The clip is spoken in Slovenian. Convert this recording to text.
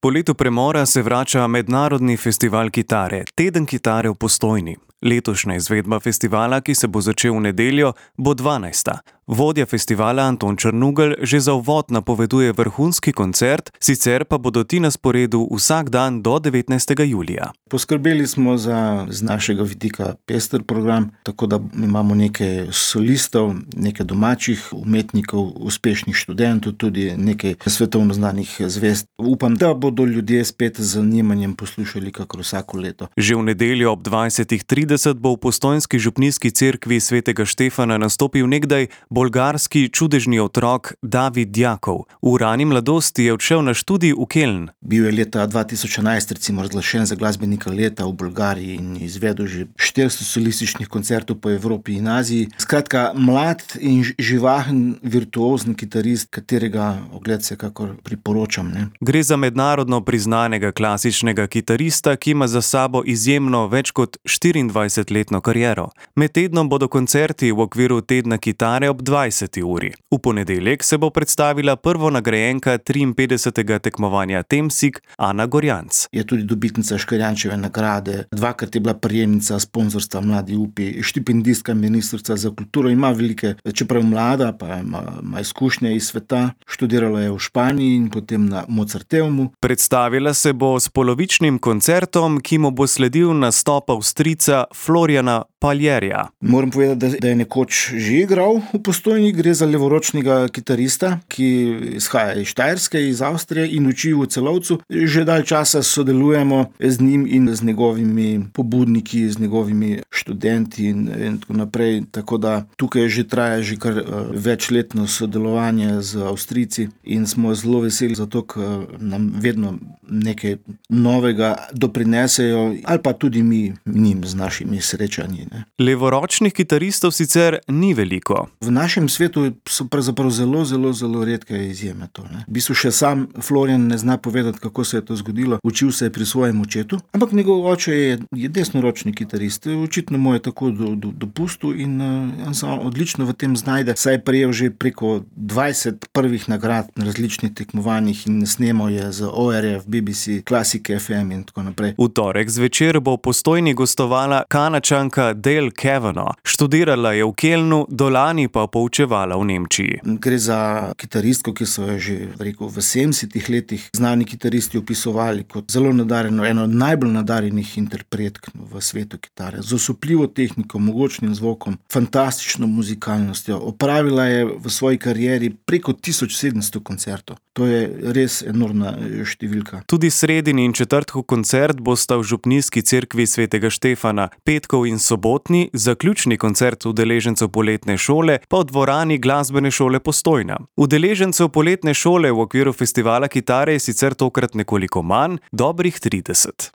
Po letu premora se vrača mednarodni festival kitare, Teden kitare v Postojni. Letošnja izvedba festivala, ki se bo začel v nedeljo, bo 12. Vodja festivala Anton Črnugelj že za uvod napoveduje vrhunski koncert, sicer pa bodo ti na sporedu vsak dan do 19. julija. Poskrbeli smo za z našega vidika pester program, tako da imamo nekaj solistov, nekaj domačih umetnikov, uspešnih študentov, tudi nekaj svetovno znanih zvezd. Upam, da bodo ljudje spet z zanimanjem poslušali kakor vsako leto. Že v nedeljo ob 20:30 bo v postojnski župnijski cerkvi svetega Štefana nastopil nekdaj bolgarski čudežni otrok David Jakov. V rani mladosti je odšel na študij v Keln. Bil je leta 2011 recimo razglašen za glasbenika leta v Bolgariji in izvedel že 400 solističnih koncertov po Evropi in Aziji. Skratka, mlad in živahen virtuozni kitarist, katerega ogled vsekakor priporočam. Gre za mednarodno priznanega klasičnega kitarista, ki ima za sabo izjemno več kot 24-letno kariero. Med tednom bodo koncerti v okviru Tedna kitare ob 20. uri. V ponedeljek se bo predstavila prvonagrajenka 53. tekmovanja Temsig Ana Gorjanc. Je tudi dobitnica Škarjančeve nagrade, dvakrat je bila prejemnica sponzorstva Mladi upi, štipendistka ministrica za kulturo, ima velike, čeprav mlada, pa ima izkušnje iz sveta, študirala je v Španiji in potem na Mozarteumu. Predstavila se bo s polovičnim koncertom, ki mu bo sledil nastop Avstrijca Floriana Paljerja. Moram povedati, da je nekoč že igral v Postojni, gre za levoročnega kitarista, ki izhaja iz Štajerske, iz Avstrije in uči v Celovcu. Že dalj časa sodelujemo z njim in z njegovimi pobudniki, z njegovimi študenti in tako naprej. Tako da tukaj že traja že kar večletno sodelovanje z Avstrijci in smo zelo veseli zato, ker nam vedno nekaj novega doprinesejo ali pa tudi mi njim z našimi srečanji. Levoročnih kitaristov sicer ni veliko. V našem svetu so pravzaprav zelo redke izjeme to. V bistvu še sam Florian ne zna povedati, kako se je to zgodilo. Učil se je pri svojem očetu, ampak njegov oče je desnoročni kitarist. Očitno mu je tako dopustil in on se odlično v tem znajde. Saj je prejel že preko 20 prvih nagrad na različnih tekmovanjih in snemal je z ORF, BBC, Classic FM in tako naprej. V torek zvečer bo v Postojni gostovala Kanačanka Dale Kavanagh. Študirala je v Kelnu, dolani pa poučevala v Nemčiji. Gre za kitaristko, ki so jo že v 70 letih znani kitaristi opisovali kot zelo nadarjeno, eno od najbolj nadarjenih interpretk v svetu kitare. Z osupljivo tehniko, mogočnim zvokom, fantastično muzikalnostjo. Opravila je v svoji karieri preko 1700 koncertov. To je res enormna številka. Tudi sredini in četrtkov koncert bosta v župnijski cerkvi svetega Štefana, petkov in sobotni, zaključni koncert udeležencev poletne šole pa v dvorani glasbene šole Postojna. Udeležencev poletne šole v okviru festivala kitare je sicer tokrat nekoliko manj, dobrih 30.